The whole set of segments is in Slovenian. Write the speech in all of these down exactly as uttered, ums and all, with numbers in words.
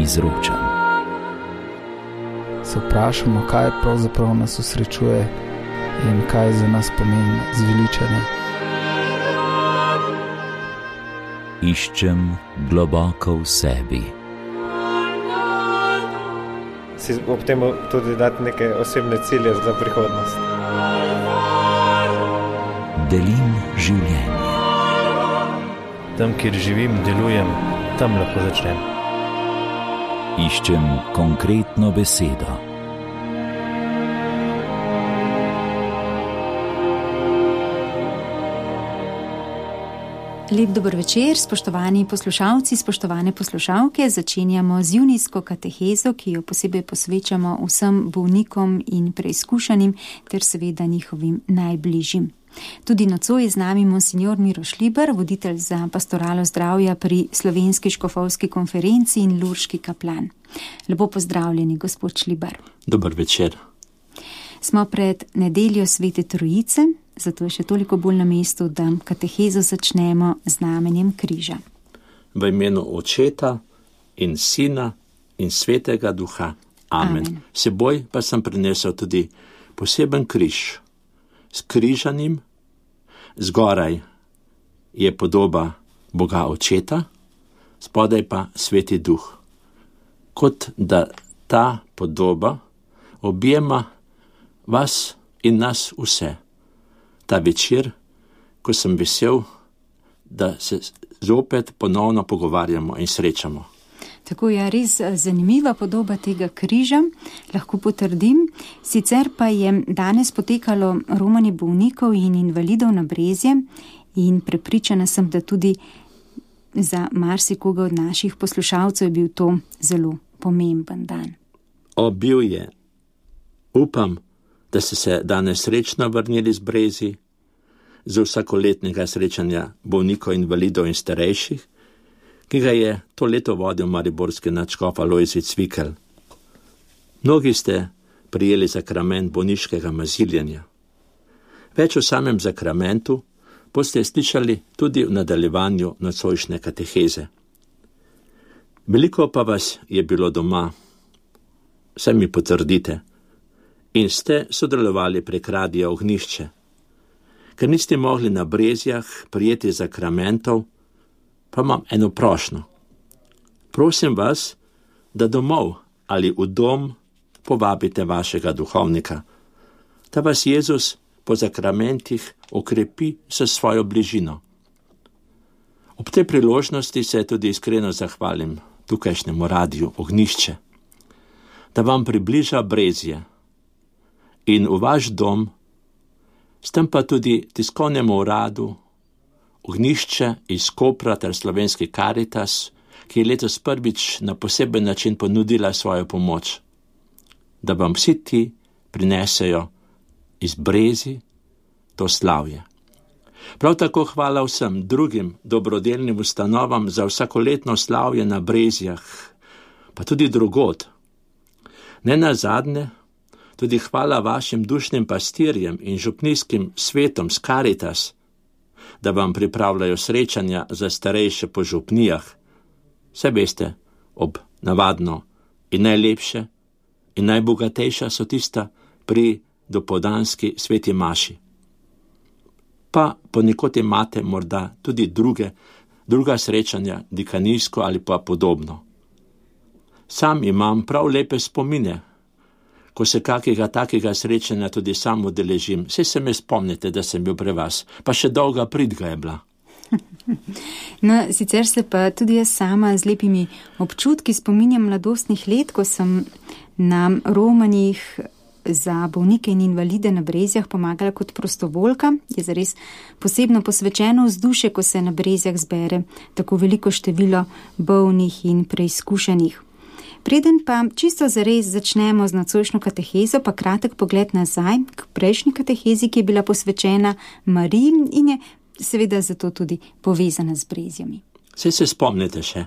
izročam. Se vprašamo, kaj pravzaprav nas osrečuje in kaj za nas pomeni zveličanje. Iščem globoko v sebi. Si ob tem tudi dati neke osebne cilje za prihodnost. Delim življenje. Tam, kjer živim, delujem, tam lahko začnem. Iščem konkretno besedo. Lep dober večer, spoštovani poslušalci, spoštovane poslušalke. Začenjamo z junijsko katehezo, ki jo posebej posvečamo vsem bolnikom in preizkušanim ter seveda njihovim najbližjim. Tudi nocoj je z nami monsignor Miro Šliber, voditelj za pastoralo zdravja pri Slovenski škofovski konferenci in lurški kaplan. Lepo pozdravljeni, gospod Šliber. Dober večer. Smo pred nedeljo Svete Trojice, zato je še toliko bolj na mestu, da katehezo začnemo z znamenjem križa. V imenu Očeta in Sina in Svetega Duha. Amen. Amen. Seboj pa sem prinesel tudi poseben križ. S križanim, zgoraj je podoba Boga Očeta, spodaj pa Sveti Duh. Kot da ta podoba objema vas in nas vse. Ta večer, ko sem vesel, da se zopet ponovno pogovarjamo in srečamo. Tako je res zanimiva podoba tega križa, lahko potrdim. Sicer pa je danes potekalo romanje bolnikov in invalidov na Brezje in prepričana sem, da tudi za marsikoga od naših poslušalcev je bil to zelo pomemben dan. O, bil je. Upam, da ste se danes srečno vrnili z Brezij, z vsakoletnega srečanja bolnikov, invalidov in starejših, ki ga je to leto vodil mariborski nadškof Alojzij Cvikl. Mnogi ste prijeli sakrament bolniškega maziljenja. Več o samem sakramentu boste slišali tudi v nadaljevanju nocojšnje kateheze. Veliko pa vas je bilo doma, saj mi potrdite, in ste sodelovali prek Radia Ognjišče. Ker niste mogli na Brezjah prijeti sakramentov, pa imam eno prošnjo. Prosim vas, da domov ali v dom povabite vašega duhovnika, da vas Jezus po sakramentih okrepi s svojo bližino. Ob tej priložnosti se tudi iskreno zahvalim tukajšnjemu Radiu Ognjišče, da vam približa Brezje in v vaš dom, s tem pa tudi tiskovnemu uradu Ognjišče iz Kopra ter Slovenski Karitas, ki je letos prvič na poseben način ponudila svojo pomoč, da vam vsi ti prinesejo iz Brezij to slavje. Prav tako hvala vsem drugim dobrodelnim ustanovam za vsakoletno slavje na Brezjah, pa tudi drugod. Ne nazadnje, tudi hvala vašim dušnim pastirjem in župnijskim svetom s Karitas, da vam pripravljajo srečanja za starejše po župnijah. Vse veste, ob navadno in najlepše in najbogatejša so tista pri dopoldanski sveti maši. Pa ponekod imate morda tudi druge, druga srečanja, dikanijsko ali pa podobno. Sam imam prav lepe spomine, ko se kakega takega srečanja tudi sam udeležim. Saj se me spomnite, da sem bil pri vas, pa še dolga pridga je bila. No, sicer se pa tudi jaz sama z lepimi občutki spominjam mladostnih let, ko sem na romanjih za bolnike in invalide na Brezjah pomagala kot prostovoljka. Je zares posebno posvečeno vzdušje, ko se na Brezjah zbere tako veliko število bolnih in preizkušenih. Preden pa čisto zares začnemo z nocojšnjo katehezo, pa kratek pogled nazaj k prejšnji katehezi, ki je bila posvečena Mariji in je seveda zato tudi povezana z Brezjami. Saj se spomnite še.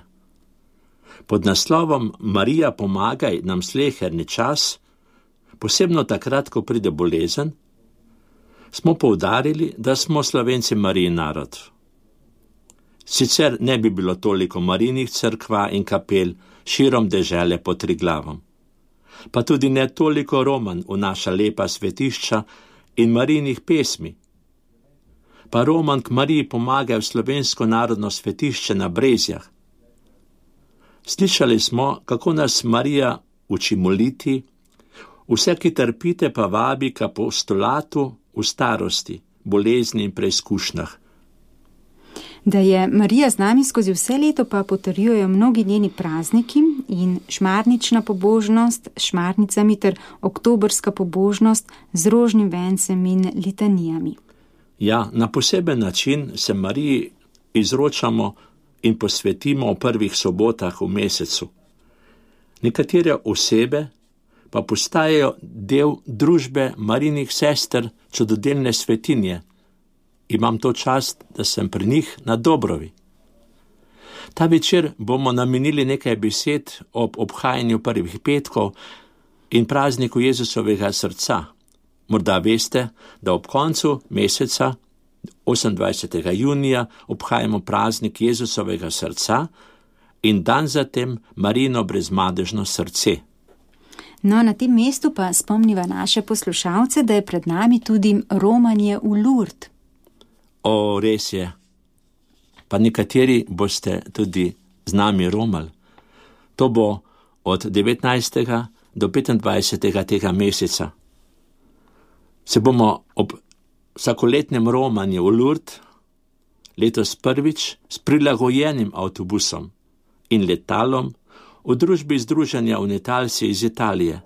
Pod naslovom Marija pomagaj nam sleherni čas, posebno takrat, ko pride bolezen, smo poudarili, da smo Slovenci Marijin narod. Sicer ne bi bilo toliko Marijinih cerkva in kapel širom dežele pod Triglavom. Pa tudi ne toliko Roman v naša lepa svetišča in Marijinih pesmi. Pa Roman k Mariji pomaga v slovensko narodno svetišče na Brezjah. Slišali smo, kako nas Marija uči moliti, vse, ki trpite, pa vabi k apostolatu v starosti, bolezni in preizkušnjah. Da je Marija z nami skozi vse leto, pa potrjujejo mnogi njeni prazniki in šmarnična pobožnost s šmarnicami ter oktobrska pobožnost z rožnim vencem in litanijami. Ja, na poseben način se Mariji izročamo in posvetimo v prvih sobotah v mesecu. Nekatere osebe pa postajajo del družbe Marijinih sester čudodelne svetinje. Imam to čast, da sem pri njih na Dobrovi. Ta večer bomo namenili nekaj besed ob obhajanju prvih petkov in prazniku Jezusovega srca. Morda veste, da ob koncu meseca, osemindvajsetega junija, obhajamo praznik Jezusovega srca in dan zatem Marijino brezmadežno srce. No, na tem mestu pa spomniva naše poslušalce, da je pred nami tudi romanje v Lourdes. O, res je. Pa nekateri boste tudi z nami romali. To bo od devetnajstega do petindvajsetega tega meseca. Se bomo ob vsakoletnem romanju v Lourdes letos prvič s prilagojenim avtobusom in letalom v družbi Združenja Unitalci iz Italije.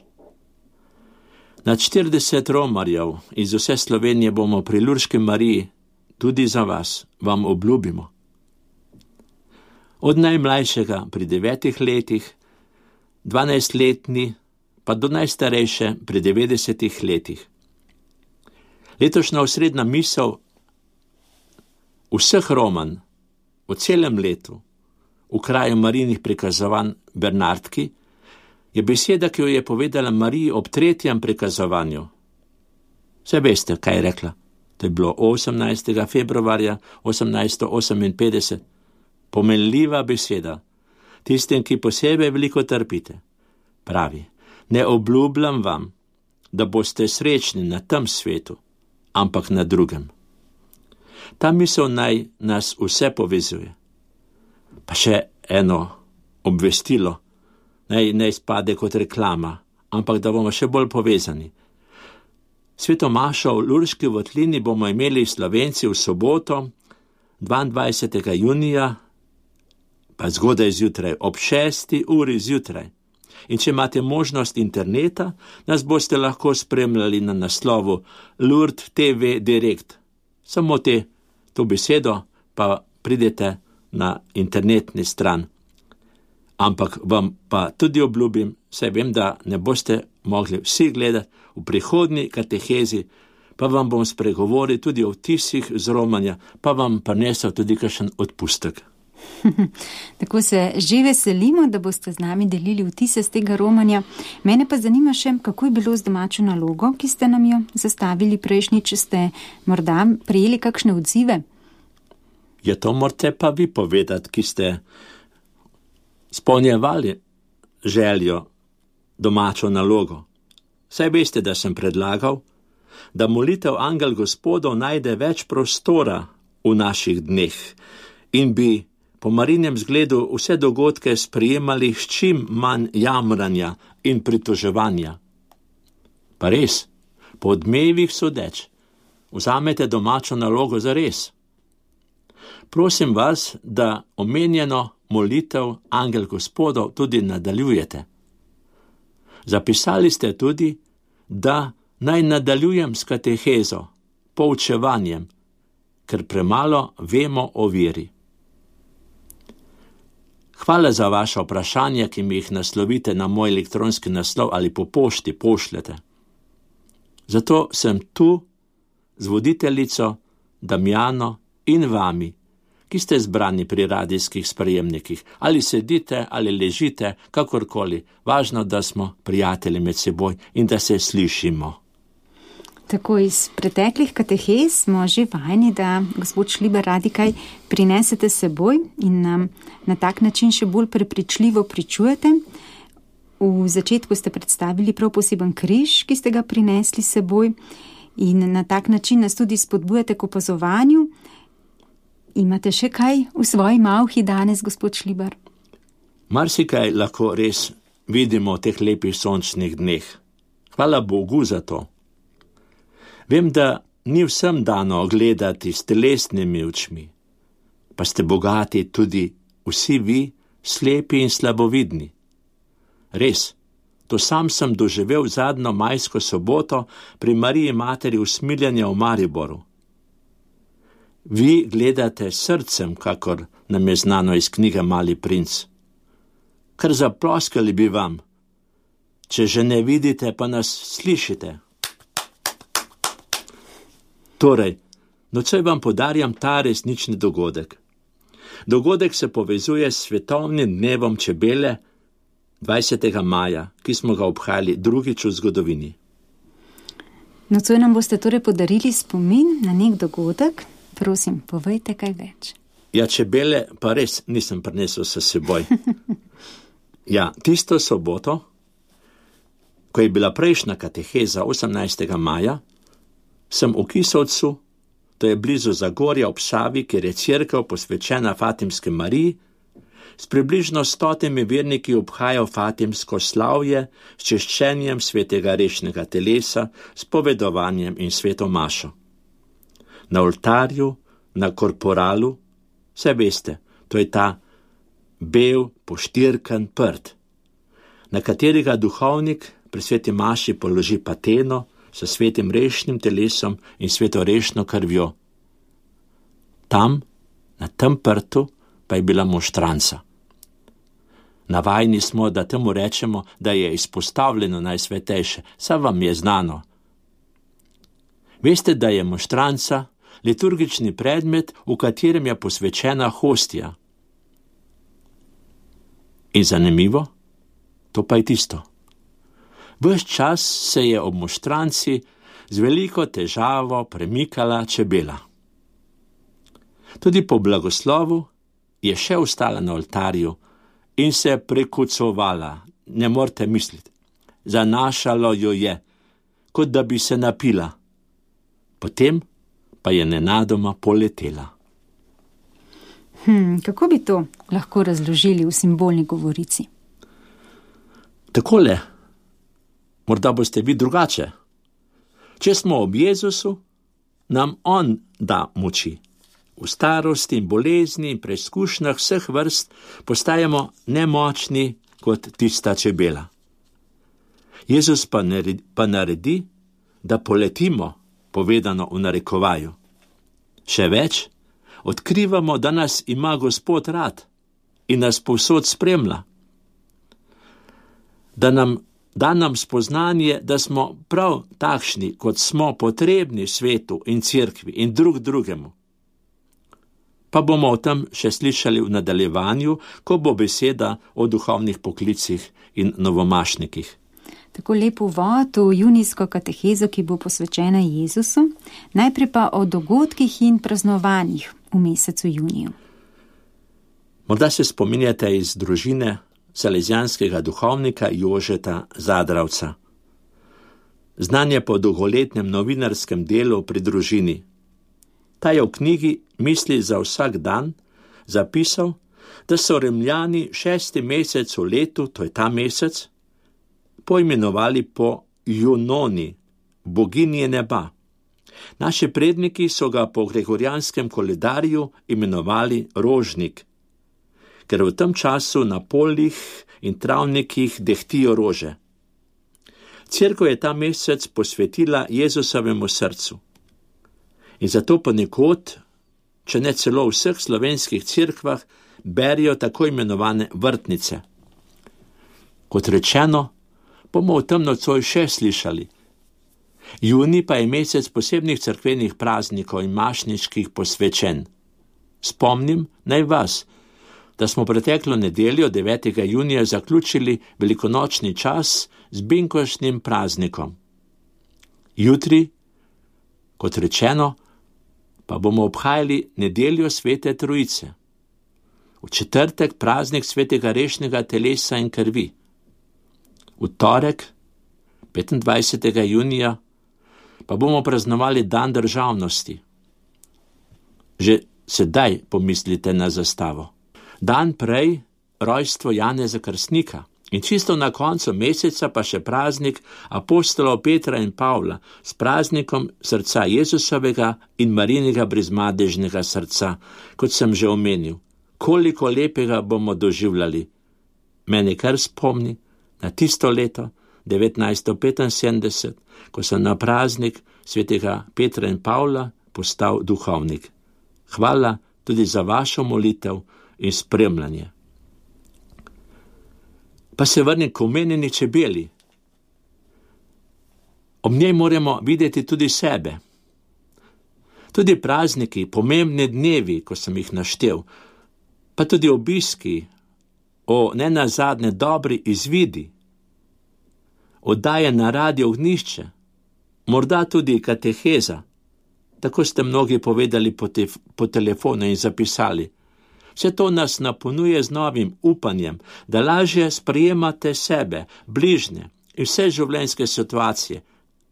Nad štirideset romarjev iz vse Slovenije bomo pri Lurški Mariji tudi za vas, vam obljubimo. Od najmlajšega pri devetih letih, dvanajstletni pa do najstarejše pri devetdesetih letih. Letošnja osrednja misel vseh romanj v celem letu v kraju Marijinih prikazovanj Bernardki je beseda, ki jo je povedala Mariji ob tretjem prikazovanju. Vse veste, kaj je rekla. To je bilo osemnajstega februarja osemnajststo oseminpetdeset. Pomenljiva beseda tistim, ki posebej veliko trpite. Pravi, ne obljubljam vam, da boste srečni na tem svetu, ampak na drugem. Ta misel naj nas vse povezuje. Pa še eno obvestilo, naj ne izpade kot reklama, ampak da bomo še bolj povezani. Sveto mašo v Lurški votlini bomo imeli Slovenci v soboto, dvaindvajsetega junija, pa zgodaj zjutraj, ob šesti uri zjutraj. In če imate možnost interneta, nas boste lahko spremljali na naslovu Lourdes T V Direct. Samo te, to besedo, pa pridete na internetni stran. Ampak vam pa tudi obljubim, saj vem, da ne boste mogli vsi gledati v prihodnji katehezi, pa vam bom spregovoril tudi o vtisih z romanja, pa vam prinesel tudi kakšen odpustek. Tako se že veselimo, da boste z nami delili vtise z tega romanja. Mene pa zanima še, kako je bilo z domačo nalogo, ki ste nam jo zastavili prejšnjič, ste morda prejeli kakšne odzive? Je to morate pa vi povedati, ki ste spolnjevali željo domačo nalogo. Saj veste, da sem predlagal, da molitev Angel Gospodov najde več prostora v naših dneh in bi po Marijinem zgledu vse dogodke sprejemali s čim manj jamranja in pritoževanja. Pa res, po odmevih sodeč, vzamete domačo nalogo za res. Prosim vas, da omenjeno molitev Angel Gospodov tudi nadaljujete. Zapisali ste tudi, da naj nadaljujem s katehezo, poučevanjem, ker premalo vemo o veri. Hvala za vaše vprašanja, ki mi jih naslovite na moj elektronski naslov ali po pošti pošljete. Zato sem tu z voditeljico Damjano in vami, ki ste zbrani pri radijskih sprejemnikih. Ali sedite, ali ležite, kakorkoli. Važno, da smo prijatelji med seboj in da se slišimo. Tako iz preteklih katehez smo že vajeni, da gospod Šlibar radi kaj prinesete seboj in nam na tak način še bolj prepričljivo pričujete. V začetku ste predstavili prav poseben križ, ki ste ga prinesli seboj in na tak način nas tudi spodbujate k opazovanju. Imate še kaj v svoji malhi danes, gospod Šlibar? Marsikaj lahko res vidimo v teh lepih sončnih dneh. Hvala Bogu za to. Vem, da ni vsem dano gledati s telesnimi očmi, pa ste bogati tudi vsi vi, slepi in slabovidni. Res, to sam sem doživel zadnjo majsko soboto pri Mariji Materi usmiljanja v Mariboru. Vi gledate srcem, kakor nam je znano iz knjige Mali princ. Kar zaploskali bi vam, če že ne vidite, pa nas slišite. Torej, nocoj vam podarjam ta resnični dogodek. Dogodek se povezuje s svetovnim dnevom čebele dvajsetega maja, ki smo ga obhajali drugič v zgodovini. Nocoj nam boste torej podarili spomin na nek dogodek. Prosim, povejte kaj več. Ja, čebele pa res nisem prinesel s seboj. Ja, tisto soboto, ko je bila prejšnja kateheza osemnajstega maja, sem v Kisovcu, to je blizu Zagorja ob Savi, kjer je cerkev posvečena Fatimske Mariji, s približno stotimi verniki obhajal Fatimsko slavje s češčenjem svetega rešnega telesa, s povedovanjem in sveto mašo. Na oltarju, na korporalu, vse veste, to je ta bel, poštirkan prt, na katerega duhovnik pri sveti maši položi pateno s svetim rešnim telesom in svetorešno krvjo. Tam, na tem prtu, pa je bila moštranca. Navajeni smo, da temu rečemo, da je izpostavljeno najsvetejše, saj vam je znano. Veste, da je moštranca liturgični predmet, v katerem je posvečena hostija. In zanimivo, to pa je tisto. Ves čas se je ob moštranci z veliko težavo premikala čebela. Tudi po blagoslovu je še ostala na oltarju in se prekucovala, ne morete misliti. Zanašalo jo je, kot da bi se napila. Potem pa je nenadoma poletela. Hm, kako bi to lahko razložili v simbolni govorici? Takole, morda boste vi drugače. Če smo ob Jezusu, nam on da moči. V starosti in bolezni in preizkušnjah vseh vrst postajamo nemočni kot tista čebela. Jezus pa naredi, pa naredi, da poletimo, povedano v narekovaju. Še več, odkrivamo, da nas ima Gospod rad in nas povsod spremlja. Da nam da nam spoznanje, da smo prav takšni, kot smo potrebni svetu in cerkvi in drug drugemu. Pa bomo o tem še slišali v nadaljevanju, ko bo beseda o duhovnih poklicih in novomašnikih. Tako lep uvod v junijsko katehezo, ki bo posvečena Jezusu, najprej pa o dogodkih in praznovanjih v mesecu juniju. Morda se spominjate iz družine salezijanskega duhovnika Jožeta Zadravca. Znan je po dolgoletnem novinarskem delu pri družini. Ta je v knjigi Misli za vsak dan zapisal, da so Rimljani šesti mesec v letu, to je ta mesec, poimenovali po Junoni, boginje neba. Naši predniki so ga po gregorijanskem koledarju imenovali rožnik, ker v tem času na poljih in travnikih dehtijo rože. Cerkev je ta mesec posvetila Jezusovemu srcu. In zato ponekod, če ne celo v vseh slovenskih cerkvah, berijo tako imenovane vrtnice. Kot rečeno, bomo v tem nocoj še slišali. Junij pa je mesec posebnih cerkvenih praznikov in mašničkih posvečen. Spomnim naj vas, da smo preteklo nedeljo devetega junija zaključili velikonočni čas z binkoštnim praznikom. Jutri Kot rečeno, pa bomo obhajali nedeljo Svete Trojice. V četrtek praznik svetega rešnega telesa in krvi. V torek, petindvajsetega junija, pa bomo praznovali dan državnosti. Že sedaj pomislite na zastavo. Dan prej rojstvo Janeza Krstnika in čisto na koncu meseca pa še praznik apostolov Petra in Pavla s praznikom srca Jezusovega in Marinega brezmadežnega srca, kot sem že omenil. Koliko lepega bomo doživljali. Mene kar spomni na tisto leto, devetnajststo petinsedemdeset, ko sem na praznik svetega Petra in Pavla postal duhovnik. Hvala tudi za vašo molitev in spremljanje. Pa se vrnem k omenjeni čebeli. Ob njej moramo videti tudi sebe. Tudi prazniki, pomembni dnevi, ko sem jih naštel, pa tudi obiski, o nenazadnje dobri izvidi, oddaje na radio Ognjišče, morda tudi kateheza, tako ste mnogi povedali po, te, po telefonu in zapisali. Vse to nas napolnjuje z novim upanjem, da lažje sprejemate sebe, bližnje in vse življenjske situacije,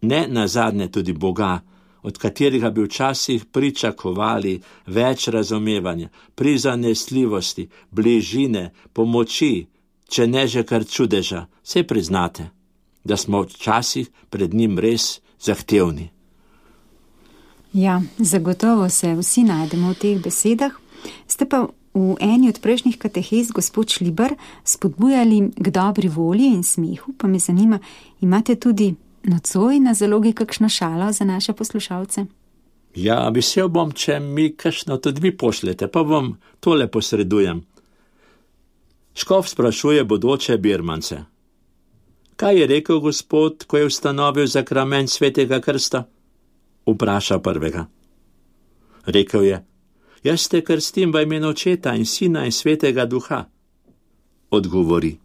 ne nazadnje tudi Boga, od katerega bi včasih pričakovali več razumevanja, prizanesljivosti, bližine, pomoči, če ne že kar čudeža. Saj priznate, da smo včasih pred njim res zahtevni. Ja, zagotovo se vsi najdemo v teh besedah. Ste pa v eni od prejšnjih katehez, gospod Šlibar, spodbujali k dobri volji in smehu, pa me zanima, imate tudi nocoj na zalogi kakšno šalo za naše poslušalce? Ja, vesel bom, če mi kakšno tudi vi pošljete, pa vam tole posredujem. Škof sprašuje bodoče birmance. Kaj je rekel Gospod, ko je ustanovil zakrament svetega krsta? Vpraša prvega. Rekel je, jaz te krstim v imenu Očeta in Sina in Svetega Duha. Odgovori.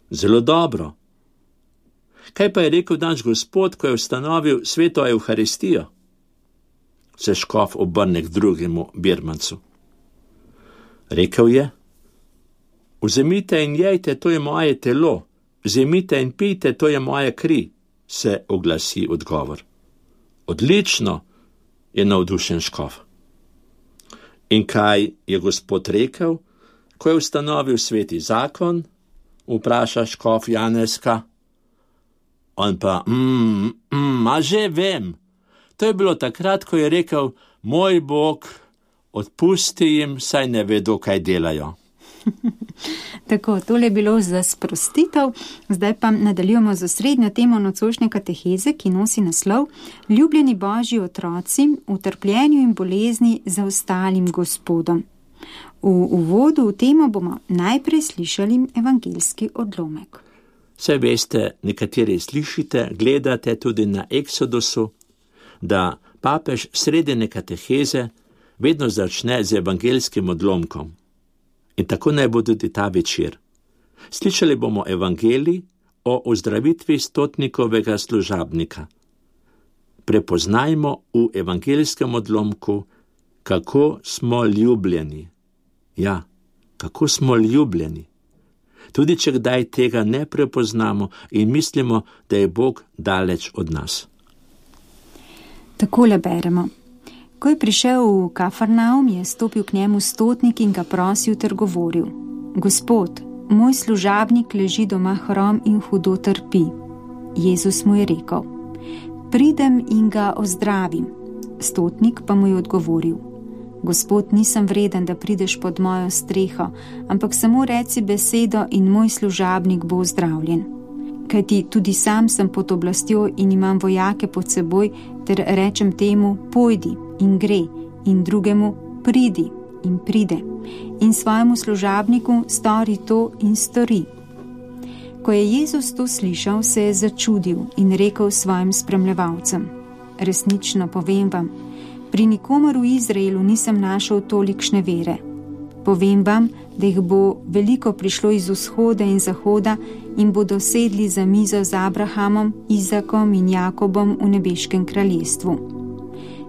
Zelo dobro. Kaj pa je rekel naš Gospod, ko je ustanovil sveto Evharistijo? Se škof obrne k drugemu birmancu. Rekel je, vzemite in jejte, to je moje telo, vzemite in pijte, to je moja kri, se oglasi odgovor. Odlično, je navdušen škof. In kaj je Gospod rekel, ko je ustanovil sveti zakon? Vpraša škof Janezka. On pa, mm, mm, a že vem. To je bilo takrat, ko je rekel, moj Bog, odpusti jim, saj ne vedo, kaj delajo. Tako, tole je bilo za sprostitev. Zdaj pa nadaljujemo z osrednjo temo nocojšnje kateheze, ki nosi naslov Ljubljeni Božji otroci v trpljenju in bolezni za ostalim Gospodom. V uvodu v temo bomo najprej slišali evangeljski odlomek. Saj veste, nekateri slišite, gledate tudi na Eksodusu, da papež sredine kateheze vedno začne z evangeljskim odlomkom. In tako naj bo tudi ta večer. Slišali bomo evangelij o ozdravitvi stotnikovega služabnika. Prepoznajmo v evangeljskem odlomku, kako smo ljubljeni. Ja, kako smo ljubljeni. Tudi če kdaj tega ne prepoznamo in mislimo, da je Bog daleč od nas. Takole beremo. Ko je prišel v Kafarnaum, je stopil k njemu stotnik in ga prosil ter govoril: Gospod, moj služabnik leži doma hrom in hudo trpi. Jezus mu je rekel: Pridem in ga ozdravim. Stotnik pa mu je odgovoril: Gospod, nisem vreden, da prideš pod mojo streho, ampak samo reci besedo in moj služabnik bo ozdravljen. Kajti tudi sam sem pod oblastjo in imam vojake pod seboj, ter rečem temu, pojdi in gre, in drugemu, pridi in pride, in svojemu služabniku stori to in stori. Ko je Jezus to slišal, se je začudil in rekel svojim spremljevalcem: Resnično povem vam, pri nikomor v Izraelu nisem našel tolikšne vere. Povem vam, da jih bo veliko prišlo iz vzhoda in zahoda in bodo sedli za mizo z Abrahamom, Izakom in Jakobom v nebeškem kraljestvu.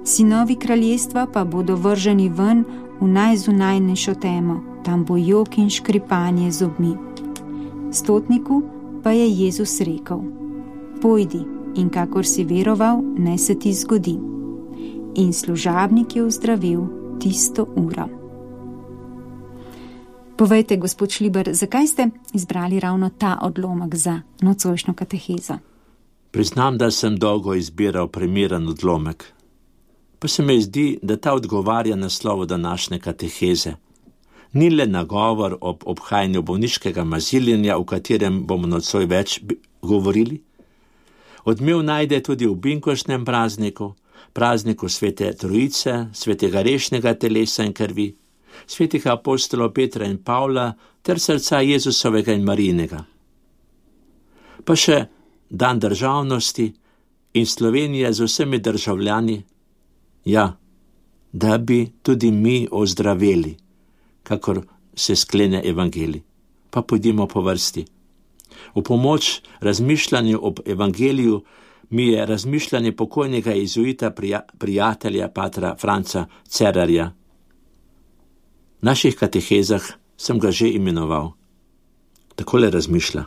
Sinovi kraljestva pa bodo vrženi ven v najzunajnejšo temo, tam bo jok in škripanje zobmi. Stotniku pa je Jezus rekel: pojdi in kakor si veroval, naj se ti zgodi. In služabnik je ozdravil tisto uro. Povejte, gospod Šliber, zakaj ste izbrali ravno ta odlomek za nocojšnjo katehezo? Priznam, da sem dolgo izbiral primeren odlomek, pa se mi zdi, da ta odgovarja naslovu današnje kateheze. Ni le nagovor ob obhajanju bolniškega maziljenja, o katerem bomo nocoj več govorili. Odmev najde tudi v binkoštnem prazniku, prazniku svete Trojice, svetega rešnega telesa in krvi, svetih apostolov Petra in Pavla ter srca Jezusovega in Marijinega. Pa še dan državnosti in Slovenije z vsemi državljani, ja, da bi tudi mi ozdraveli, kakor se sklene evangelij. Pa pojdimo po vrsti. V pomoč razmišljanju ob evangeliju mi je razmišljanje pokojnega jezuita prija, prijatelja patra Franca Cerarja. V naših katehezah sem ga že imenoval. Takole razmišlja.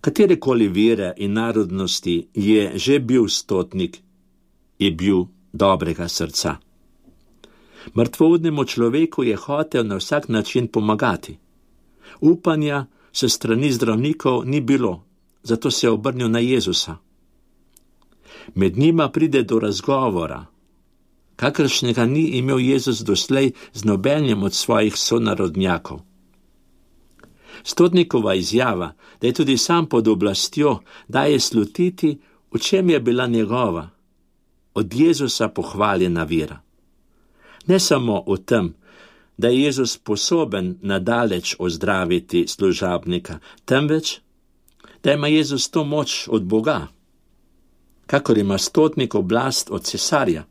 Katerekoli vere in narodnosti je že bil stotnik, je bil dobrega srca. Mrtvoudnemu človeku je hotel na vsak način pomagati. Upanja se strani zdravnikov ni bilo, zato se je obrnil na Jezusa. Med njima pride do razgovora, kakršnega ni imel Jezus doslej z nobenim od svojih sonarodnjakov. Stotnikova izjava, da je tudi sam pod oblastjo, daje slutiti, v čem je bila njegova, od Jezusa pohvaljena vera. Ne samo v tem, da je Jezus sposoben nadaleč ozdraviti služabnika, temveč, da ima Jezus to moč od Boga, kakor ima stotnik oblast od cesarja.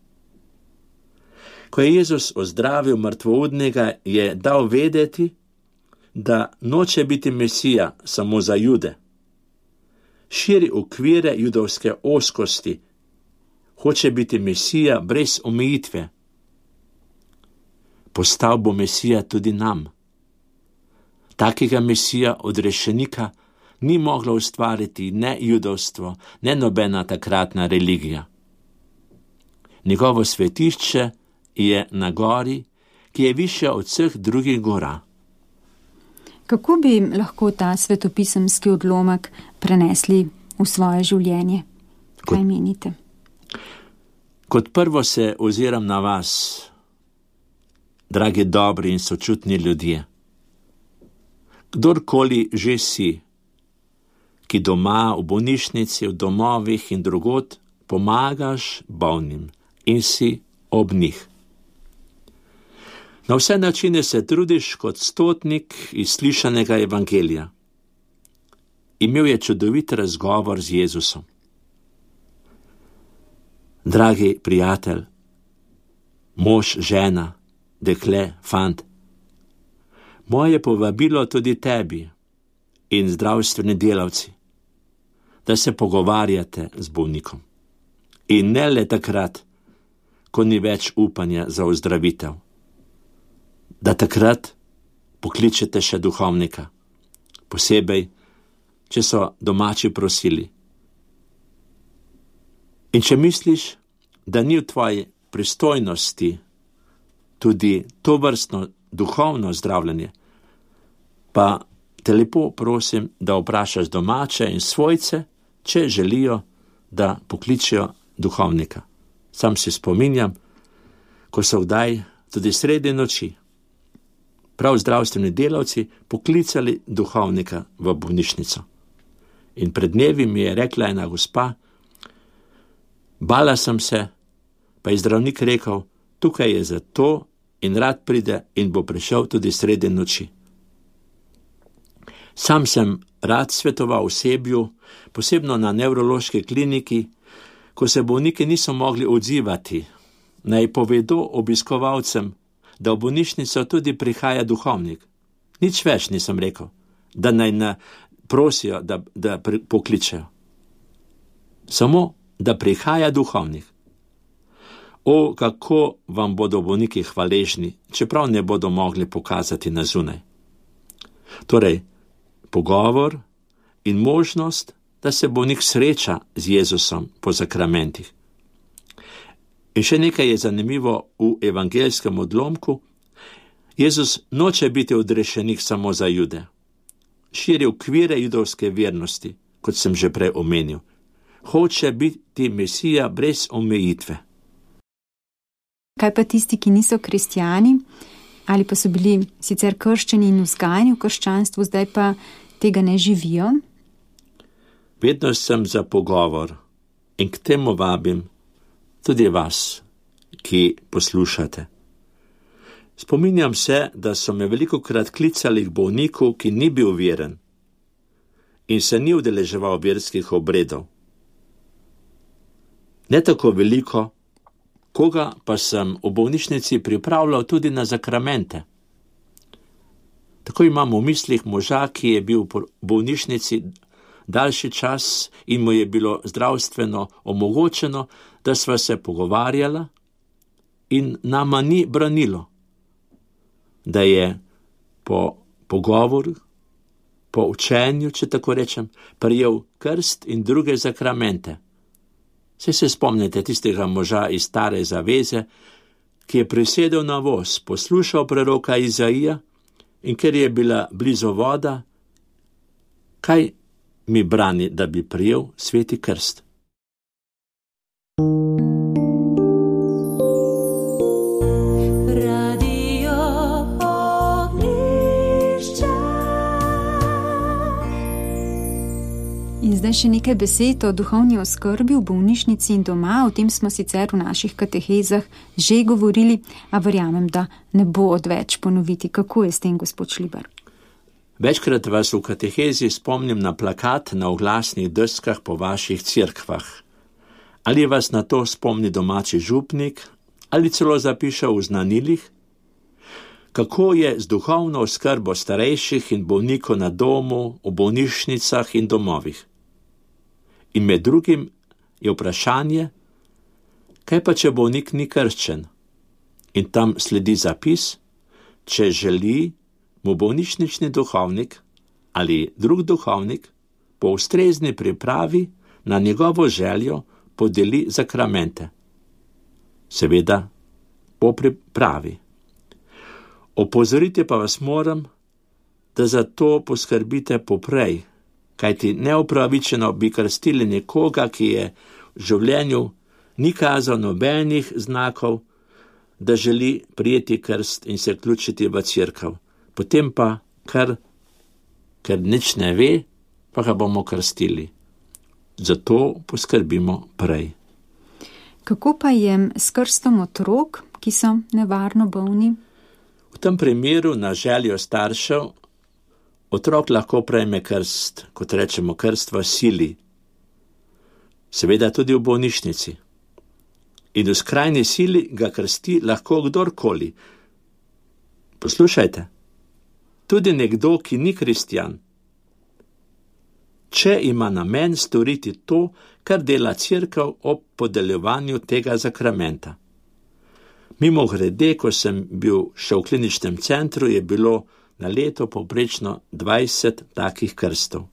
Ko je Jezus ozdravil mrtvoudnega, je dal vedeti, da noče biti Mesija samo za Jude. Širi okvire judovske ozkosti, hoče biti Mesija brez omejitve. Postal bo Mesija tudi nam. Takega Mesija odrešenika ni moglo ustvariti ne judovstvo, ne nobena takratna religija. Njegovo svetišče je na gori, ki je višja od vseh drugih gora. Kako bi lahko ta svetopisemski odlomek prenesli v svoje življenje? Kaj kot, menite? Kot prvo se oziram na vas, dragi dobri in sočutni ljudje. Kdorkoli že si, ki doma, v bolnišnici, v domovih in drugod pomagaš bolnim in si ob njih. Na vse načine se trudiš kot stotnik iz slišanega evangelija. Imel je čudovit razgovor z Jezusom. Dragi prijatelj, mož, žena, dekle, fant, moje povabilo tudi tebi in zdravstveni delavci, da se pogovarjate z bolnikom. In ne le takrat, ko ni več upanja za ozdravitev. Da takrat pokličete še duhovnika, posebej, če so domači prosili. In če misliš, da ni v tvoji pristojnosti tudi to vrstno duhovno zdravljenje, pa te lepo prosim, da vprašaš domače in svojce, če želijo, da pokličejo duhovnika. Sam se spominjam, ko so kdaj tudi sredi noči prav zdravstveni delavci poklicali duhovnika v bolnišnico. In pred dnevi mi je rekla ena gospa, bala sem se, pa je zdravnik rekel, tukaj je zato in rad pride in bo prišel tudi sredi noči. Sam sem rad svetoval osebju, posebno na nevrološki kliniki, ko se bolniki niso mogli odzivati, naj povedo obiskovalcem, da v bolnišnico tudi prihaja duhovnik. Nič več nisem rekel, da naj ne prosijo, da, da pri, pokličejo. Samo, da prihaja duhovnik. O, kako vam bodo bolniki hvaležni, čeprav ne bodo mogli pokazati na zunaj. Torej, pogovor in možnost, da se bolnik sreča z Jezusom po zakramentih. In še nekaj je zanimivo v evangeljskem odlomku. Jezus noče biti odrešenik samo za Jude. Širi okvire judovske vernosti, kot sem že prej omenil. Hoče biti Mesija brez omejitve. Kaj pa tisti, ki niso kristjani, ali pa so bili sicer krščeni in vzgajani v krščanstvu, zdaj pa tega ne živijo? Vedno sem za pogovor in k temu vabim tudi vas, ki poslušate. Spominjam se, da so me velikokrat klicali k bolniku, ki ni bil veren in se ni udeleževal verskih obredov. Ne tako veliko, koga pa sem v bolnišnici pripravljal tudi na zakramente. Tako imam v mislih moža, ki je bil v bolnišnici daljši čas in mu je bilo zdravstveno omogočeno, da sva se pogovarjala in nama ni branilo, da je po pogovoru, po učenju, če tako rečem, prijel krst in druge zakramente. Saj se spomnite tistega moža iz Stare zaveze, ki je prisedel na voz, poslušal preroka Izaija in ker je bila blizu voda, kaj mi brani, da bi prijel sveti krst? In zdaj še nekaj besed o duhovni oskrbi v bolnišnici in doma. O tem smo sicer v naših katehezah že govorili, a verjamem, da ne bo odveč ponoviti. Kako je s tem, gospod Šlibar? Večkrat vas v katehezi spomnim na plakat na oglasnih deskah po vaših cerkvah. Ali vas na to spomni domači župnik, ali celo zapiše v znanilih? Kako je z duhovno oskrbo starejših in bolnikov na domu, v bolnišnicah in domovih? In med drugim je vprašanje, kaj pa če bolnik ni krščen? In tam sledi zapis, če želi mu bolnišnični duhovnik ali drug duhovnik po ustrezni pripravi na njegovo željo podeli zakramente. Seveda po pripravi. Opozoriti pa vas moram, da za to poskrbite poprej, kajti neupravičeno bi krstili nekoga, ki je v življenju ni kazal nobenih znakov, da želi prijeti krst in se vključiti v cerkev. Potem pa, kar, ker nič ne ve, pa ga bomo krstili. Zato poskrbimo prej. Kako pa je s krstom otrok, ki so nevarno bolni? V tem primeru na željo staršev otrok lahko prejme krst, kot rečemo krst v sili. Seveda tudi v bolnišnici. In v skrajni sili ga krsti lahko kdorkoli. Poslušajte, tudi nekdo, ki ni kristjan, če ima namen storiti to, kar dela cerkev ob podeljevanju tega zakramenta. Mimo grede, ko sem bil še v kliničnem centru, je bilo na leto povprečno dvajset takih krstov.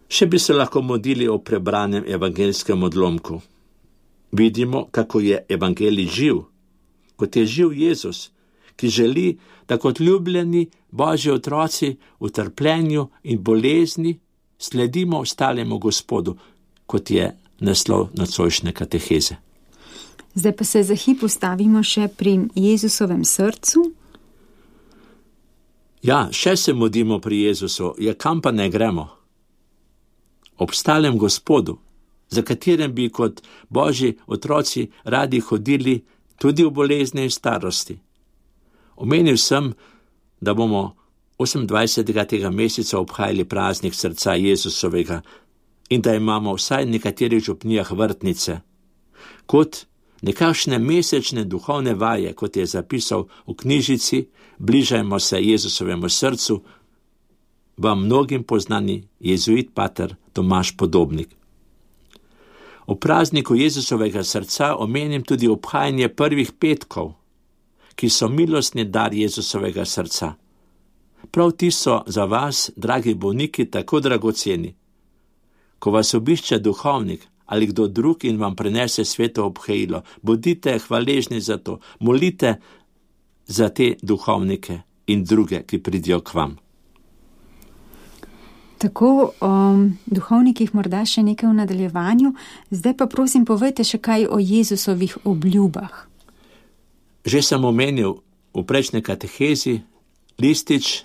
Še bi se lahko modili o prebranem evangeljskem odlomku. Vidimo, kako je evangelij živ, kot je živ Jezus, ki želi, da kot ljubljeni Božji otroci v trpljenju in bolezni sledimo ostalemu Gospodu, kot je naslov nocojšnje kateheze. Zdaj pa se za hip ustavimo še pri Jezusovem srcu. Ja, še se modimo pri Jezusu, ja kam pa ne gremo? Ob stalem Gospodu, za katerem bi kot Božji otroci radi hodili tudi v bolezni in starosti. Omenil sem, da bomo osemindvajsetega tega meseca obhajali praznik srca Jezusovega in da imamo vsaj v nekaterih župnijah vrtnice, kot nekakšne mesečne duhovne vaje, kot je zapisal v knjižici Bližajmo se Jezusovemu srcu, vam mnogim poznani jezuit pater Tomaž Podobnik. V prazniku Jezusovega srca omenim tudi obhajanje prvih petkov, ki so milostni dar Jezusovega srca. Prav ti so za vas, dragi bolniki, tako dragoceni. Ko vas obišče duhovnik ali kdo drug in vam prinese sveto obhajilo, bodite hvaležni za to, molite za te duhovnike in druge, ki pridijo k vam. Tako o duhovnikih morda še nekaj v nadaljevanju, zdaj pa prosim povejte še kaj o Jezusovih obljubah. Že sem omenil v prejšnji katehezi listič,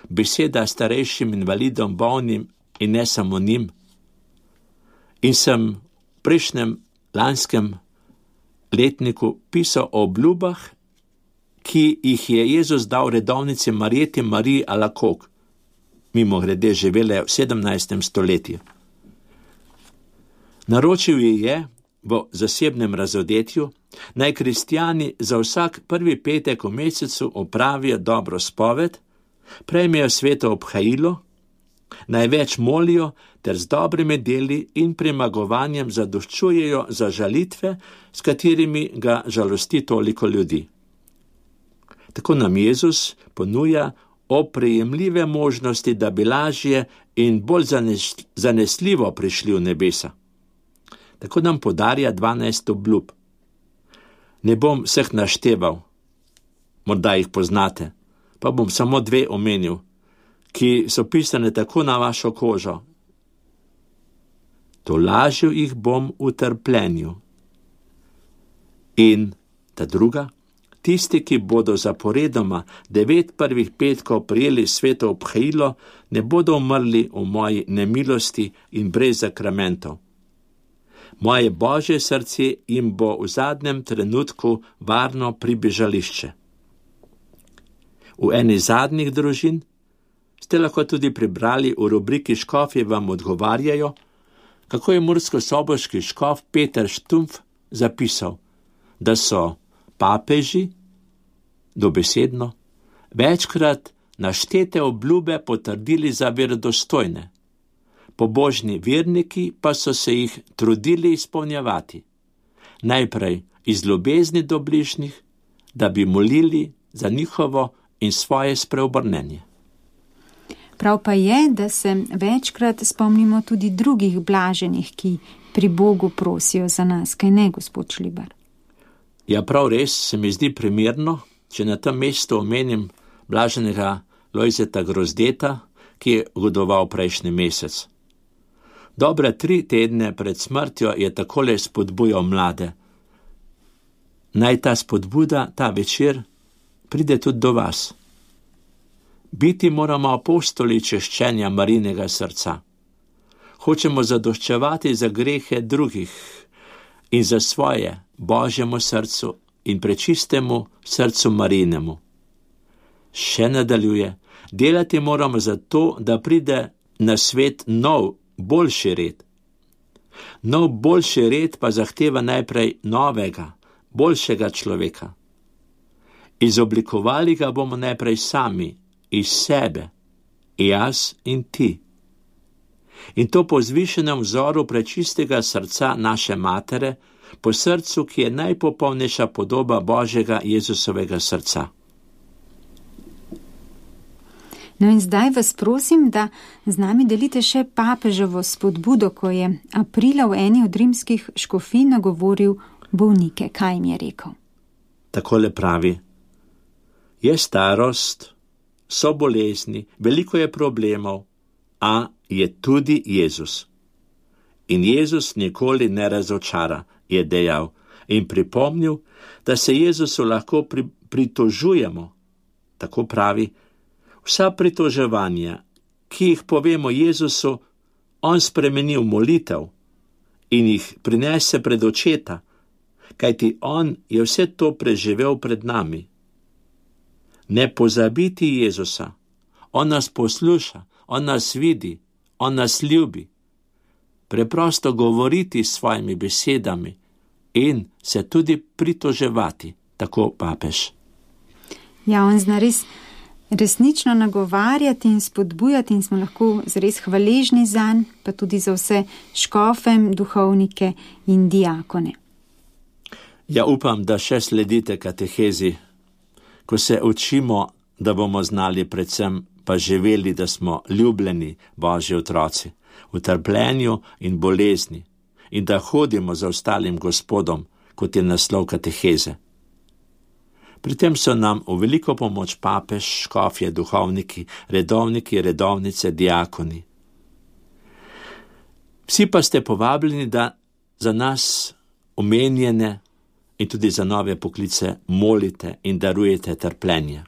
beseda starejšim invalidom, bolnim in ne samo njim. In sem v prejšnjem lanskem letniku pisal o obljubah, ki jih je Jezus dal redovnici Marjeti Mariji Alakok, mimo grede živele v sedemnajstem stoletju. Naročil ji je v zasebnem razodetju, naj kristjani za vsak prvi petek v mesecu opravijo dobro spoved, prejmejo sveto obhajilo, največ molijo ter z dobrimi deli in premagovanjem zadoščujejo za žalitve, s katerimi ga žalosti toliko ljudi. Tako nam Jezus ponuja oprijemljive možnosti, da bi lažje in bolj zanesljivo prišli v nebesa. Tako nam podarja dvanajst obljub. Ne bom vseh našteval, morda jih poznate, pa bom samo dve omenil, ki so pisane tako na vašo kožo. Tolažil jih bom v trpljenju. In ta druga, tisti, ki bodo zaporedoma devet prvih petkov prijeli sveto obhajilo, ne bodo umrli v moji nemilosti in brez zakramentov. Moje Božje srce jim bo v zadnjem trenutku varno pribežališče. V eni zadnjih družin ste lahko tudi prebrali v rubriki Škofje vam odgovarjajo, kako je murskosoboški škof Peter Štumpf zapisal, da so papeži, dobesedno, večkrat naštete obljube potrdili za verodostojne. Pobožni verniki pa so se jih trudili izpolnjevati. Najprej iz ljubezni do bližnjih, da bi molili za njihovo in svoje spreobrnenje. Prav pa je, da se večkrat spomnimo tudi drugih blaženih, ki pri Bogu prosijo za nas, kaj ne, gospod Šlibar? Ja, prav res se mi zdi primerno, če na tem mestu omenim blaženega Lojzeta Grozdeta, ki je godoval prejšnji mesec. Dobre tri tedne pred smrtjo je takole spodbujal mlade. Naj ta spodbuda, ta večer, pride tudi do vas. Biti moramo apostoli češčenja Marijinega srca. Hočemo zadoščevati za grehe drugih in za svoje Božjemu srcu in prečistemu srcu Marijinemu. Še nadaljuje, delati moramo za to, da pride na svet nov, boljši red. Nov boljši red pa zahteva najprej novega, boljšega človeka. Izoblikovali ga bomo najprej sami, iz sebe, jaz in ti. In to po vzvišenem vzoru prečistega srca naše matere, po srcu, ki je najpopolnejša podoba Božjega Jezusovega srca. No in zdaj vas prosim, da z nami delite še papeževo spodbudo, ko je aprila v eni od rimskih škofij nagovoril bolnike. Kaj jim je rekel? Takole pravi, je starost, so bolezni, veliko je problemov, a je tudi Jezus. In Jezus nikoli ne razočara, je dejal in pripomnil, da se Jezusu lahko pri, pritožujemo. Tako pravi, vsa pritoževanja, ki jih povemo Jezusu, on spremeni v molitev in jih prinese pred očeta, kajti on je vse to preživel pred nami. Ne pozabiti Jezusa, on nas posluša, on nas vidi, on nas ljubi. Preprosto govoriti s svojimi besedami in se tudi pritoževati, tako papež. Ja, on zna res resnično nagovarjati in spodbujati in smo lahko zares hvaležni zanj, pa tudi za vse škofe, duhovnike in diakone. Ja, upam, da še sledite katehezi, ko se učimo, da bomo znali predvsem pa živeli, da smo ljubljeni Božji otroci v trpljenju in bolezni in da hodimo za ostalim Gospodom, kot je naslov kateheze. Pri tem so nam v veliko pomoč papež, škofje, duhovniki, redovniki, redovnice, diakoni. Vsi pa ste povabljeni, da za nas omenjene in tudi za nove poklice molite in darujete trpljenje.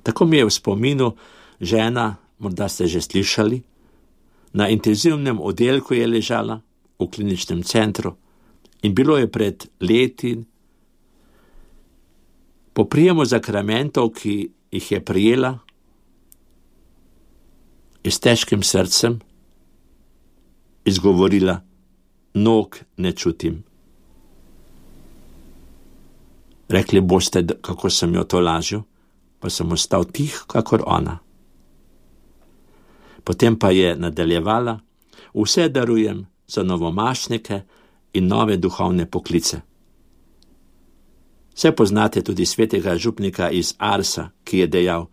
Tako mi je v spominu žena, morda ste že slišali, na intenzivnem oddelku je ležala v kliničnem centru in bilo je pred leti. Po prijemu zakramentov, ki jih je prijela, je s težkim srcem izgovorila: nog ne čutim. Rekli boste, kako sem jo to lažil, pa sem ostal tih, kakor ona. Potem pa je nadaljevala: vse darujem za novomašnike in nove duhovne poklice. Vse poznate tudi svetega župnika iz Arsa, ki je dejal: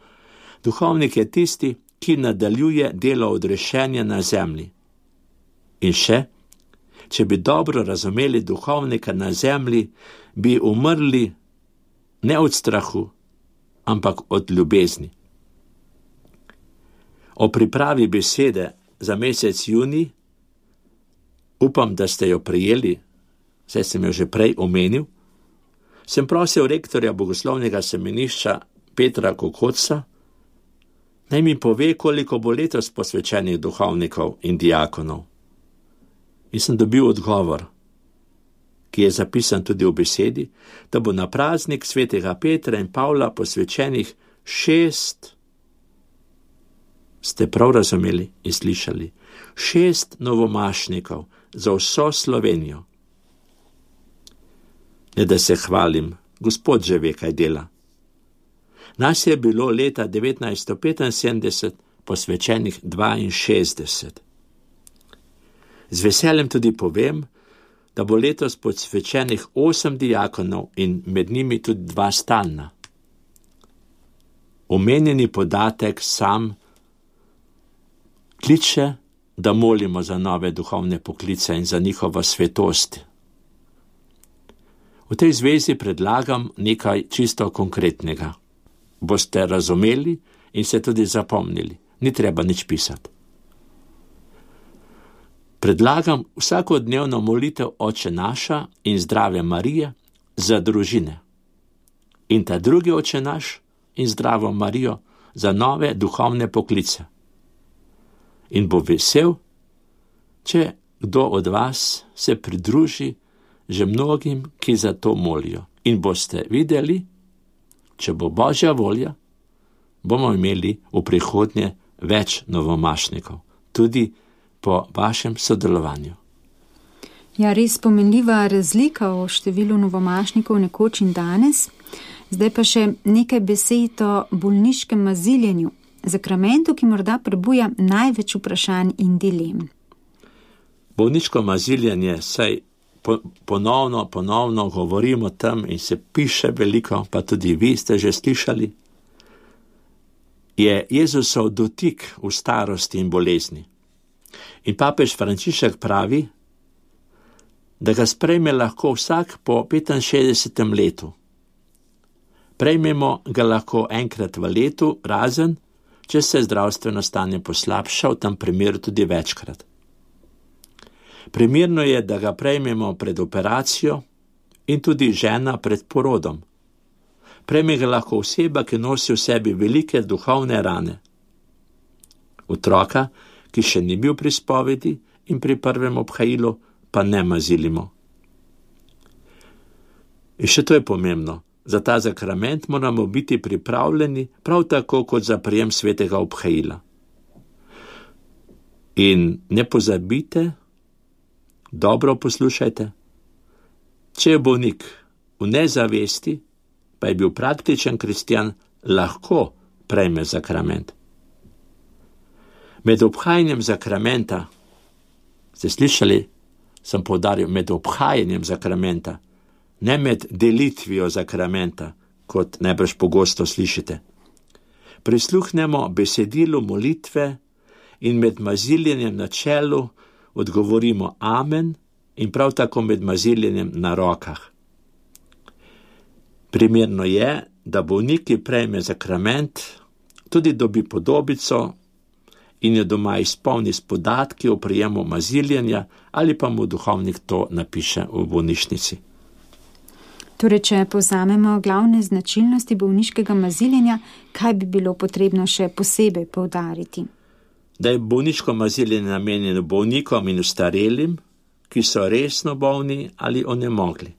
duhovnik je tisti, ki nadaljuje delo odrešenja na zemlji. In še, če bi dobro razumeli duhovnika na zemlji, bi umrli ne od strahu, ampak od ljubezni. O pripravi besede za mesec junij, upam, da ste jo prejeli, saj sem jo že prej omenil, sem prosil rektorja bogoslovnega semenišča Petra Kokotca, naj mi pove, koliko bo letos posvečenih duhovnikov in diakonov. In sem dobil odgovor, ki je zapisan tudi v besedi, da bo na praznik svetega Petra in Pavla posvečenih šest, ste prav razumeli in slišali, šest novomašnikov za vso Slovenijo. Ne da se hvalim, Gospod že ve, kaj dela. Nas je bilo leta devetnajststo petinsedemdeset posvečenih dvainšestdeset. Z veseljem tudi povem, da bo letos posvečenih osem diakonov in med njimi tudi dva stalna. Omenjeni podatek sam kliče, da molimo za nove duhovne poklice in za njihovo svetost. V tej zvezi predlagam nekaj čisto konkretnega. Boste razumeli in se tudi zapomnili. Ni treba nič pisati. Predlagam vsakodnevno molitev Oče naša in Zdrave Marije za družine. In ta drugi Oče naš in Zdravo Marijo za nove duhovne poklice. In bo vesel, če kdo od vas se pridruži že mnogim, ki za to molijo. In boste videli, če bo Božja volja, bomo imeli v prihodnje več novomašnikov, tudi po vašem sodelovanju. Ja, res pomenljiva razlika o številu novomašnikov nekoč in danes. Zdaj pa še nekaj besed o bolniškem maziljenju, zakramentu, ki morda prebuja največ vprašanj in dilem. Bolniško maziljenje, saj ponovno, ponovno govorimo tam in se piše veliko, pa tudi vi ste že slišali, je Jezusov dotik v starosti in bolezni. In papež Frančišek pravi, da ga sprejme lahko vsak po petinšestdesetem letu. Prejmemo ga lahko enkrat v letu, razen, če se zdravstveno stanje poslabša, v tem primeru tudi večkrat. Primerno je, da ga prejmemo pred operacijo in tudi žena pred porodom. Prejme ga lahko oseba, ki nosi v sebi velike duhovne rane. Otroka, ki še ni bil pri spovedi in pri prvem obhajilu, pa ne mazilimo. In še to je pomembno. Za ta zakrament moramo biti pripravljeni prav tako kot za prijem svetega obhajila. In ne pozabite, dobro poslušajte, če je bolnik v nezavesti, pa je bil praktičen kristjan, lahko prejme zakrament. Med obhajanjem zakramenta, ste slišali, sem poudaril, med obhajanjem zakramenta, ne med delitvijo zakramenta, kot najbrž pogosto slišite. Prisluhnemo besedilu molitve in med maziljenjem na čelu odgovorimo amen in prav tako med maziljenjem na rokah. Primerno je, da bolnik, ki prejme zakrament, tudi dobi podobico in jo doma izpolni s podatki o prijemu maziljenja ali pa mu duhovnik to napiše v bolnišnici. Torej, če povzamemo glavne značilnosti bolniškega maziljenja, kaj bi bilo potrebno še posebej poudariti? Da je bolniško maziljenje namenjeno bolnikom in ostarelim, ki so resno bolni ali onemogli.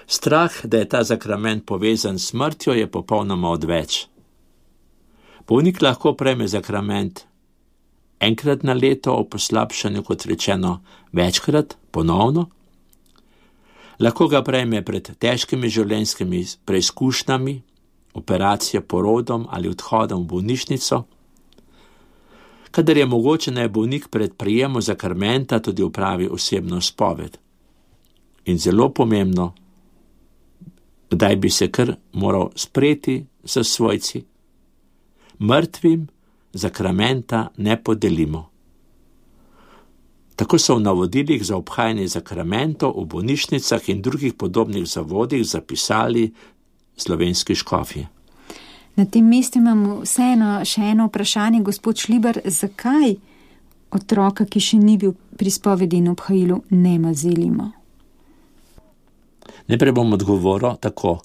Strah, da je ta zakrament povezan s smrtjo, je popolnoma odveč. Bolnik lahko prejme zakrament enkrat na leto o poslabšanju, kot rečeno, večkrat, ponovno. Lahko ga prejme pred težkimi življenjskimi preizkušnjami, operacijo, porodom ali odhodom v bolnišnico. Kadar je mogoče, naj bolnik pred prijemom zakramenta tudi opravi osebno spoved. In zelo pomembno, kdaj bi se kar moral spreti s svojci. Mrtvim zakramenta ne podelimo. Tako so v navodilih za obhajanje zakramentov v bolnišnicah in drugih podobnih zavodih zapisali slovenski škofje. Na tem mestu imamo vseeno še eno vprašanje, gospod Šlibar, zakaj otroka, ki še ni bil pri spovedi in obhajilu, ne mazilimo? Najprej bom odgovoril tako.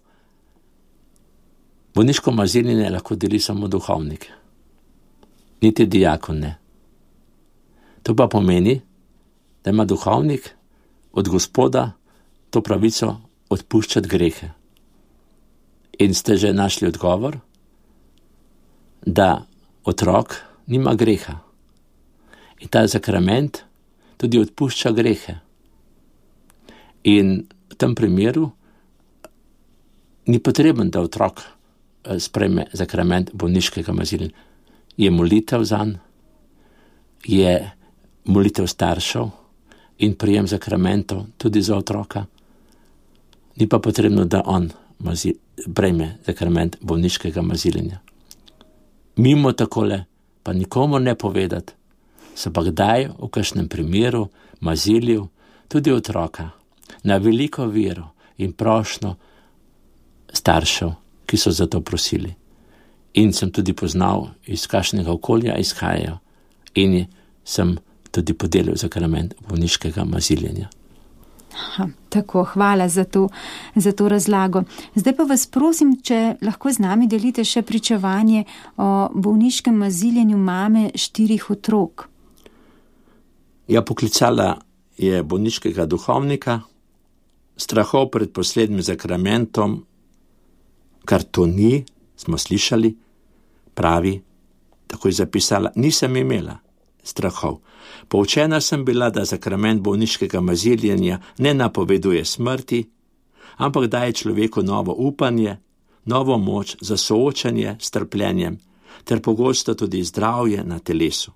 Bolniško maziljenje lahko deli samo duhovnik, niti dijakon ne. To pa pomeni, da ima duhovnik od Gospoda to pravico odpuščati grehe. In ste že našli odgovor, da otrok nima greha. In ta zakrament tudi odpušča grehe. In v tem primeru ni potreben, da otrok sprejme zakrament bolniškega maziljenja. Je molitev zanj, je molitev staršev in prijem zakramentov tudi za otroka. Ni pa potrebno, da on mazi, prejme zakrament bolniškega maziljenja. Mimo takole pa nikomu ne povedati, se pa kdaj v kakšnem primeru mazilil tudi otroka na veliko vero in prošnjo staršev, ki so za to prosili. In sem tudi poznal, iz kakšnega okolja izhajajo in sem tudi podelil zakrament bolniškega maziljenja. Aha, tako, hvala za to, za to razlago. Zdaj pa vas prosim, če lahko z nami delite še pričevanje o bolniškem maziljenju mame štirih otrok. Ja, poklicala je bolniškega duhovnika, strahov pred poslednjim zakramentom, kar to ni, smo slišali, pravi, tako je zapisala, nisem imela strahov. Poučena sem bila, da zakrament bolniškega maziljenja ne napoveduje smrti, ampak daje človeku novo upanje, novo moč za soočanje s trpljenjem, ter pogosto tudi zdravje na telesu.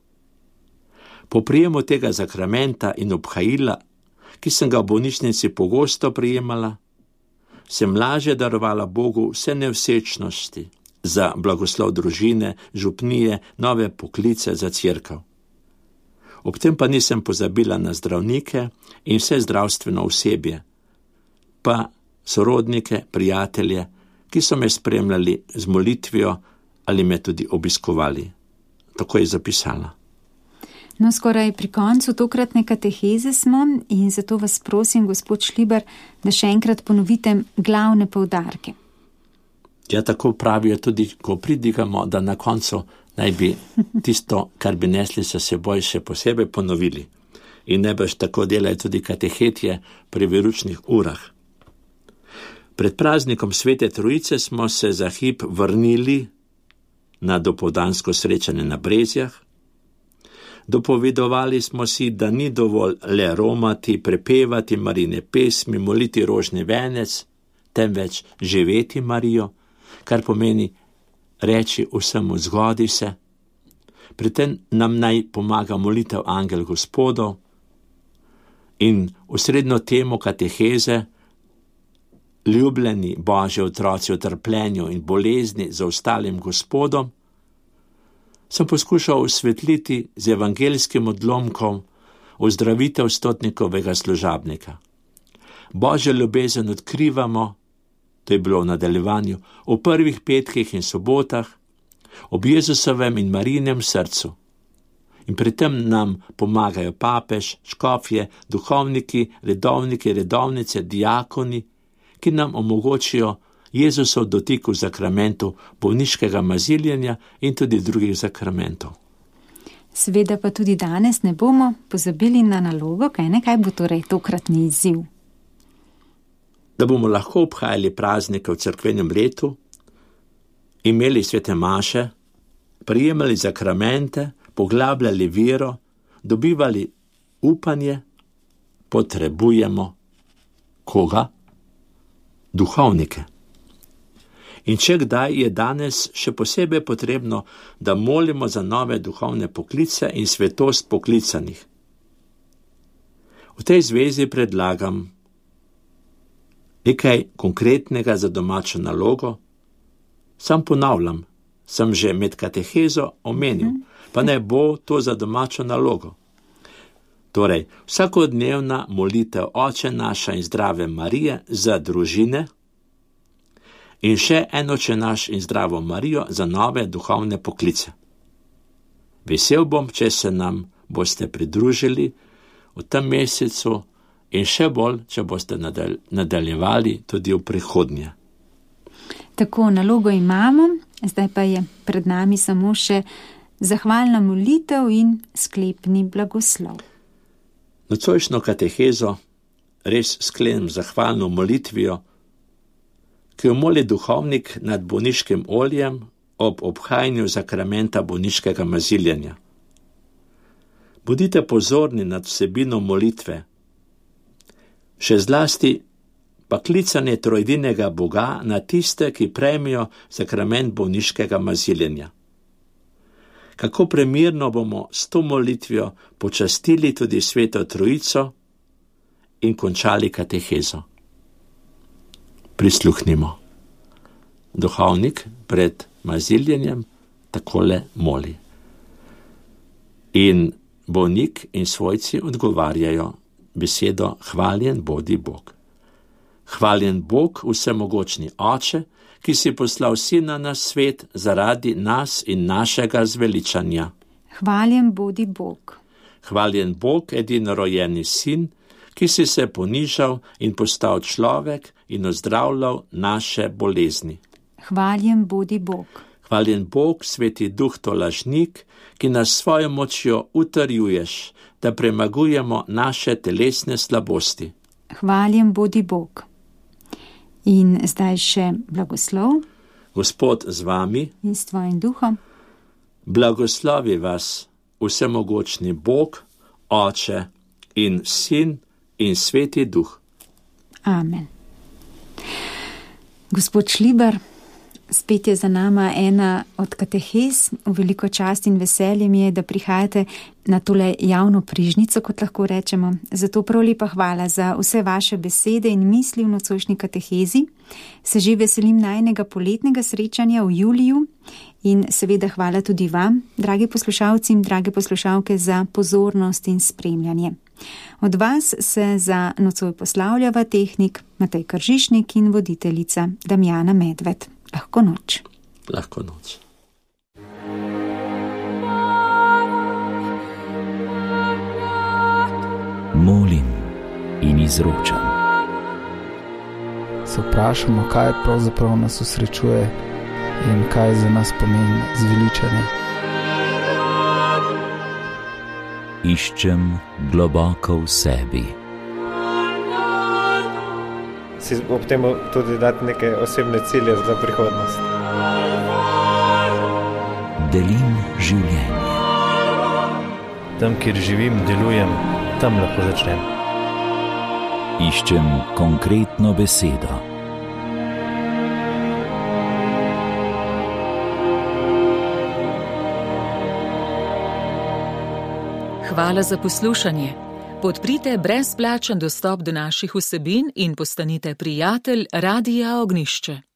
Po prijemu tega zakramenta in obhajila, ki sem ga v bolnišnici pogosto prijemala, sem lažje darovala Bogu vse nevsečnosti za blagoslov družine, župnije, nove poklice za cerkev. Ob tem pa nisem pozabila na zdravnike in vse zdravstveno osebje, pa sorodnike, prijatelje, ki so me spremljali z molitvijo ali me tudi obiskovali. Tako je zapisala. No, skoraj pri koncu tokratne kateheze smo in zato vas prosim, gospod Šlibar, da še enkrat ponovite glavne poudarke. Ja, tako pravijo tudi, ko pridigamo, da na koncu naj bi tisto, kar bi nesli sa seboj, še posebej ponovili. In najbrž tako delajo tudi katehetje pri veručnih urah. Pred praznikom Svete Trojice smo se za hip vrnili na dopoldansko srečanje na Brezjah. Dopovedovali smo si, da ni dovolj le romati, prepevati Marine pesmi, moliti rožni venec, temveč živeti Marijo, kar pomeni reči vsemu zgodi se. Pri tem nam naj pomaga molitev Angel Gospodov in osrednjo temo kateheze, ljubljeni Božji otroci v trpljenju in bolezni za ostalim Gospodom, sem poskušal osvetliti z evangelskim odlomkom ozdravitev stotnikovega služabnika. Božjo ljubezen odkrivamo, to je bilo v nadaljevanju, v prvih petkih in sobotah, ob Jezusovem in Marijinem srcu. In pri tem nam pomagajo papež, škofje, duhovniki, redovniki, redovnice, diakoni, ki nam omogočijo Jezusov dotik v zakramentu bolniškega maziljenja in tudi drugih zakramentov. Seveda pa tudi danes ne bomo pozabili na nalogo, kaj ne, kaj bo torej tokratni izziv. Da bomo lahko obhajali praznike v cerkvenem letu, imeli svete maše, prijemali zakramente, poglabljali vero, dobivali upanje, potrebujemo koga? Duhovnike. In če kdaj, je danes še posebej potrebno, da molimo za nove duhovne poklice in svetost poklicanih. V tej zvezi predlagam nekaj konkretnega za domačo nalogo. Sam ponavljam, sem že med katehezo omenil, pa ne bo to za domačo nalogo. Torej, vsakodnevna molitev Oče naša in Zdrave Marije za družine in še en Oče naš in Zdravo Marijo za nove duhovne poklice. Vesel bom, če se nam boste pridružili v tem mesecu in še bolj, če boste nadaljevali tudi v prihodnje. Tako, nalogo imamo, zdaj pa je pred nami samo še zahvalna molitev in sklepni blagoslov. Nocojšnjo katehezo res sklenem zahvalno molitvijo, ki jo moli duhovnik nad bolniškim oljem ob obhajanju zakramenta bolniškega maziljenja. Bodite pozorni nad vsebino molitve, še zlasti pa klicanje trojedinega Boga na tiste, ki prejmejo sakrament bolniškega maziljenja. Kako premirno bomo s to molitvijo počastili tudi Sveto Trojico in končali katehezo. Prisluhnimo. Duhovnik pred maziljenjem takole moli. In bolnik in svojci odgovarjajo besedo hvaljen bodi Bog. Hvaljen Bog, vsemogočni Oče, ki si poslal Sina na svet zaradi nas in našega zveličanja. Hvaljen bodi Bog. Hvaljen Bog, edinorojenni Sin, ki si se ponižal in postal človek in ozdravljal naše bolezni. Hvaljen bodi Bog. Hvaljen Bog, Sveti Duh tolažnik, ki nas svojo močjo utrjuješ, da premagujemo naše telesne slabosti. Hvaljen bodi Bog. In zdaj še blagoslov. Gospod z vami in s tvojim duhom. Blagoslovi vas vsemogočni Bog, Oče in Sin in Sveti Duh. Amen. Gospod Šlibar, spet je za nama ena od katehez. V veliko čast in veselje mi je, da prihajate na tole javno prižnico, kot lahko rečemo. Zato prav lepa hvala za vse vaše besede in misli v nocojšnji katehezi. Se že veselim najinega poletnega srečanja v juliju in seveda hvala tudi vam, dragi poslušalci in drage poslušalke, za pozornost in spremljanje. Od vas se za nocoj poslavljava tehnik Matej Kržišnik in voditeljica Damjana Medved. Lahko noč. Lahko noč. Molim in izročam. Se vprašamo, kaj pravzaprav nas osrečuje in kaj za nas pomeni zveličanje. Iščem globoko v sebi. Si ob tem tudi dati neke osebne cilje za prihodnost. Delim življenje. Tam, kjer živim, delujem, tam lahko začnem. Iščem konkretno besedo. hvala za poslušanje. Podprite brezplačen dostop do naših vsebin in postanite prijatelj Radia Ognišče.